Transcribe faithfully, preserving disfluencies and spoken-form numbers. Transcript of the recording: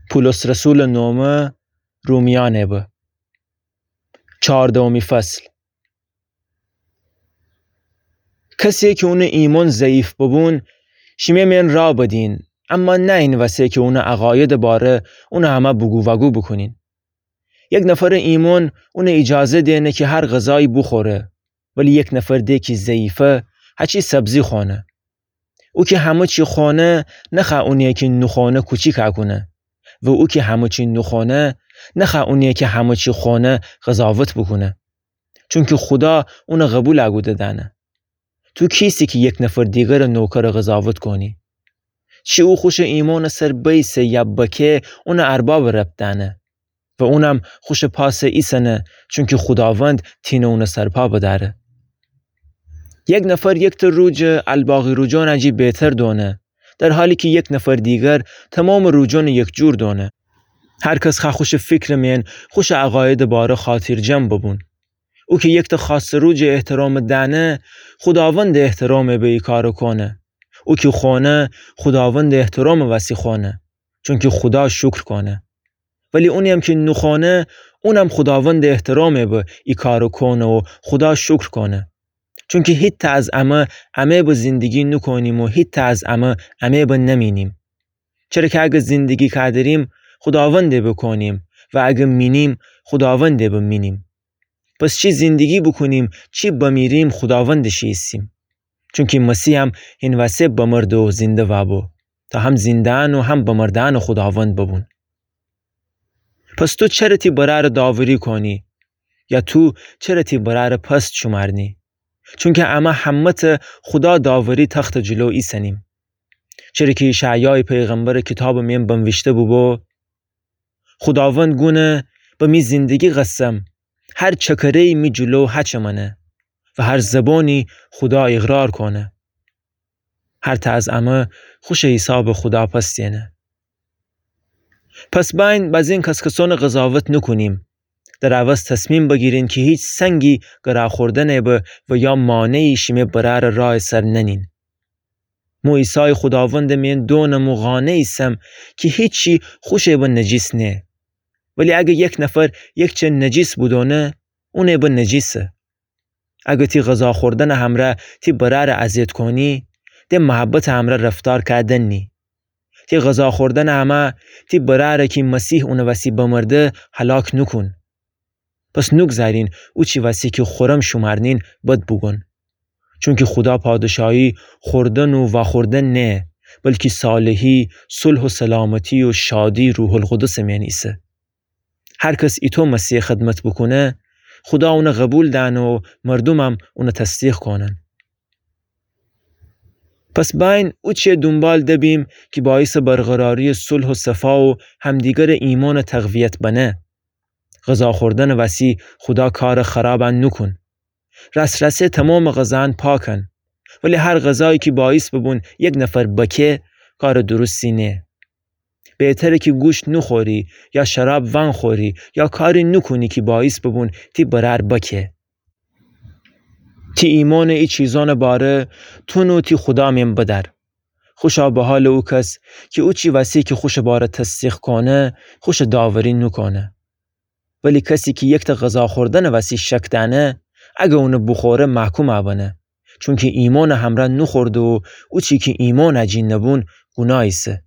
پولس رسولٚ نومه رومیأنٚ به. چاردهمی فصل. کسیی کی اونٚ ایمون ضعیف ببون، شیمه میأن راه بدین، اما نه این وسه کی اونٚ عقایدٚ باره اونٚ امه بوگو وگو بوکونین. یک نفرٚ ایمون اونٚ ایجازه دئنه کی هر غذایی بوخوره، ولی یک نفر ده کی ضعیفه، هچی سبزی خونه. او کی همه چی خونه، نخوأ اونی کی نوخونه کوچیک کونه. و او کی همه چی نوخونه، نخوأ اونی کی همه چی خونه قضاوت بوکونه. چونکی خودا اون قبول کوده دأنه. تو کیسی کی یک نفر دیگرٚ نوکرٚ قضاوت کونی؟ چی او خوشٚ ایمونٚ سر بئیسه یا بکه، اونٚ اربابٚ ربط دأنه. و اونم خوشٚ پاسٚ ایسنه، چونکی خوداوند تینه اونٚ سرپا بدأره. یک نفر یکته روجٚ الباقی روجأنٚ جی بهتر دونه، در حالی کی یک نفر دیگر تومامٚ روجأنٚ یکجور دونه. هر کس خوأ خوشٚ فیکرٚ میأن خوشٚ عقایدٚ باره خاطرجم ببون. او کی یکته خاصٚ روجٚ احترامٚ دأنه، خوداوندٚ احترامٚ به ای کارٚ کونه. او کی خونه، خوداوندٚ احترامٚ وسی خونه، چونکی خودا شکر کونه. ولی اونییم کی نوخونه، اونم خوداوندٚ احترامٚ به ای کارٚ کونه و خودا شکر کونه. چونکی هیتأ از امه، امه به زندگی نوکونیم و هیتأ از امه، امه به نمینیم. چره کی اگه زندگی کودریم، خوداوندٚ بوکونیم و اگه مینیم، خوداوندٚ بمینیم. پس چی زندگی بوکونیم، چی بمیریم، خوداوندٚ شی ایسیم. چونکی مسیحم هین وسه بمرده و زنده وابو، تا هم زنده‌یأن و هم بمرده‌یأنٚ خوداوند ببون. پس تو چره تی برأرٚ داوری کونی؟ یا تو چره تی برأرٚ پست شومأرنی؟ چونکی امه همه‌ته خودا داوری تختٚ جلو ایسنیم. چره کی اشعیایٚ پیغمبرٚ کیتابٚ میأن بنویشته بوبو: خوداوند گونه: به می زندگی قسم، هر چکره‌یی می جلو هچمنه و هر زبانی خودا اقرار کونه. هرتأ از امه خوشٚ حیسابٚ خودا پس دینه. پس بأیین بزین کس‌کسأنٚ قضاوت نوکونیم. در عوض تصمیم بگیرین کی هیچ سنگی گرا خوردنٚ به و یا مانعی شیمه برأرٚ راهٚ سر ننین. مو عیسایٚ خوداوندٚ میأن دونم و قانع ایسم کی هیچی خوشٚ به نجیس نه. ولی اگه یک نفر یک چه نجیس بودونه، اونٚ به نجیسه. اگه تی غذا خوردنٚ همرأ تی برأرٚ اذیت کونی، ده محبتٚ همرأ رفتار کودن نی. تی غذا خوردنٚ همرأ تی برأرٚ کی مسیح اونٚ وسی بمرده هلاک نوکون. پس نوگذارین اوچی وسی کی خورم شومأرنین بد بوگون. چونکی خودا پادشاهی خوردن و واخوردن نه، بلکی صالحی، صلح و سلامتی و شادی روح‌القدسٚ میأن ایسه. هر کس ایتو مسیح خدمت بوکونه، خودا اون قبول دأنه و مردومم اون تصدیق کونن. پس بأیین اوچه دونبال دبیم کی باعثٚ برقراری صلح و صفا و همدیگرٚ ایمانٚ تقویت بنه. غذا خوردنٚ وسی خودا کارٚ خرابأن نوکون. راس‌راسی تومامٚ غذاأن پاکن، ولی هر غذایی کی باعث ببون یک نفر بکه، کارٚ درستی نه. بهتره کی گوشت نوخوری یا شراب وأنخوری یا کاری نوکونی کی باعث ببون تی برأر بکه. تی ایمانٚ ای چیزأنٚ باره تو نو تی خودا میأن بدأر. خوشا به حالٚ او کس کی اوچی وسی کی خوشٚ باره تصدیق کونه، خوشٚ داوری نوکونه. ولی کسی کی یکتأ غذا خوردنٚ وسی شک دأنه، اگه اون بوخوره محکوم بنه، چونکی ایمانٚ همرأ نوخورده و اوچی کی ایمانٚ جی نبون گوناه ایسه.